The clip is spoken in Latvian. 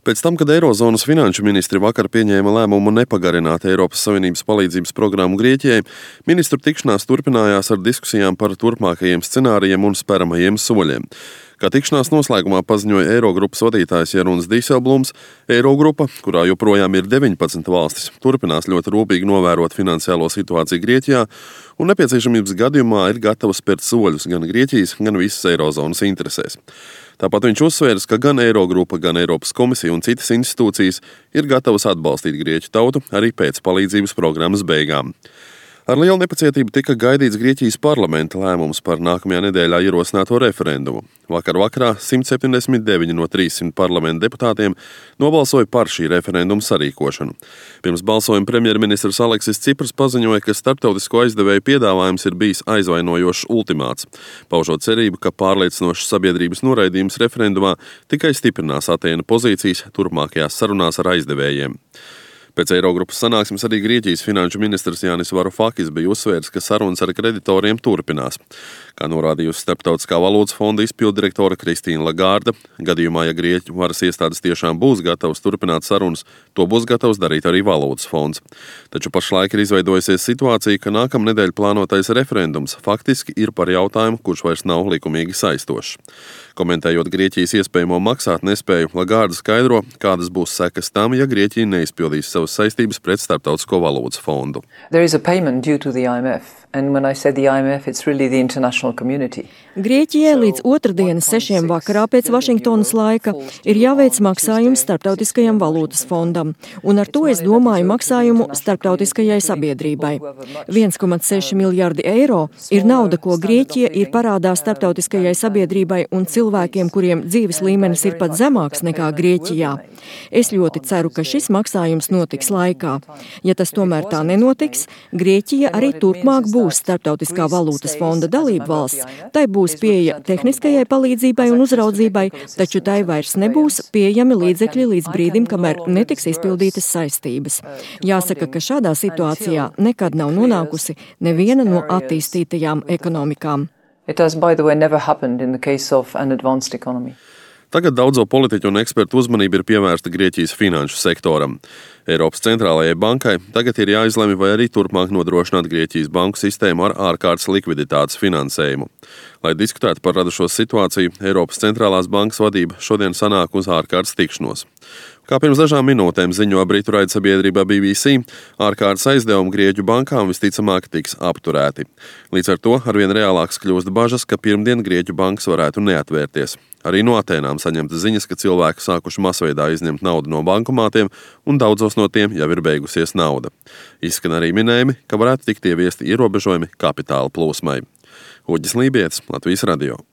Pēc tam, kad Eirozonas finanšu ministri vakar pieņēma lēmumu nepagarināt Eiropas Savienības palīdzības programmu Grieķijai, ministru tikšanās turpinājās ar diskusijām par turpmākajiem scenārijiem un speramajiem soļiem. Kā tikšanās noslēgumā paziņoja Eirogrupas vadītājs Jeroens Dijsselbloems, Eirogrupa, kurā joprojām ir 19 valstis, turpinās ļoti rūpīgi novērot finansiālo situāciju Grieķijā un nepieciešamības gadījumā ir gatava spērt soļus gan Grieķijas, gan visas Eirozonas interesēs. Tāpat viņš uzsvērs, ka gan Eirogrupa, gan Eiropas komisija un citas institūcijas ir gatavas atbalstīt Grieķu tautu arī pēc palīdzības programmas beigām. Ar lielu nepacietību tika gaidīts Grieķijas parlamenta lēmums par nākamajā nedēļā ierosināto referendumu. Vakarā 179 no 300 parlamenta deputātiem nobalsoja par šī referenduma sarīkošanu. Pirms balsojuma premjerministrs Aleksis Cipras paziņoja, ka starptautisko aizdevēju piedāvājums ir bijis aizvainojošs ultimāts, paužot cerību, ka pārliecinošs sabiedrības noraidījums referendumā tikai stiprinās Atēnu pozīcijas turpmākajās sarunās ar aizdevējiem. Pēc Eirogrupas sanāksmes arī Grieķijas finanšu ministrs Jānis Varufakis bija uzsvērs, ka sarunas ar kreditoriem turpinās. Kā norādījusi Starptautiskā valūtas fonda izpilddirektora Kristīna Lagarde, gadījumā, ja Grieķu varas iestādes tiešām būs gatavas turpināt sarunas, to būs gatavs darīt arī valūtas fonds. Taču pašlaik ir izveidojusies situācija, ka nākamnedēļ plānotais referendums faktiski ir par jautājumu, kurš vairs nav likumīgi saistošs. Komentējot Grieķijas iespējamo maksāt nespēju, Lagarde skaidro, kādas būs sekas tam, ja Grieķija neizpildīs savas saistības pret Starptautisko valūtas fondu. Grieķijai līdz otrdienas 6 vakarā pēc Vašingtonas laika ir jāveic maksājums Starptautiskajam valūtas fondam, un ar to es domāju maksājumu starptautiskajai sabiedrībai. 1,6 miljardi eiro ir nauda, ko Grieķija ir parādā starptautiskajai sabiedrībai un cilvēkiem, kuriem dzīves līmenis ir pat zemāks nekā Grieķijā. Es ļoti ceru, ka šis maksājums notiks laikā. Ja tas tomēr tā nenotiks, Grieķija arī turpmāk būs Starptautiskā valūtas fonda dalība valsts. Tai būs pieeja tehniskajai palīdzībai un uzraudzībai, taču tai vairs nebūs pieejami līdzekļi līdz brīdim, kamēr netiks izpildītas saistības. Jāsaka, ka šādā situācijā nekad nav nonākusi neviena no attīstītajām ekonomikām. Tagad daudzo politiķu un ekspertu uzmanība ir pievērsta Grieķijas finanšu sektoram. Eiropas centrālajai bankai tagad ir jāizlemj, vai arī turpmāk nodrošināt Grieķijas banku sistēmu ar ārkārtas likviditātes finansējumu. Lai diskutētu par radušo situāciju, Eiropas centrālās bankas vadība šodien sanāk uz ārkārtas tikšanos. Kā pirms dažām minūtēm ziņo britu raidsabiedrība BBC, ārkārtas aizdevumi Grieķu bankām visticamāk tiks apturēti. Līdz ar to arvien reālāks kļūst bažas, ka pirmdien Grieķu bankas varētu neatvērties. Arī no Atēnām saņemta ziņas, ka cilvēki sākuši masveidā izņemt naudu no bankomātiem, un daudzos no tiem jau ir beigusies nauda. Izskan arī minējumi, ka varētu tikt ieviesti ierobežojumi kapitāla plūsmai. Uģis Lībietis, Latvijas radio.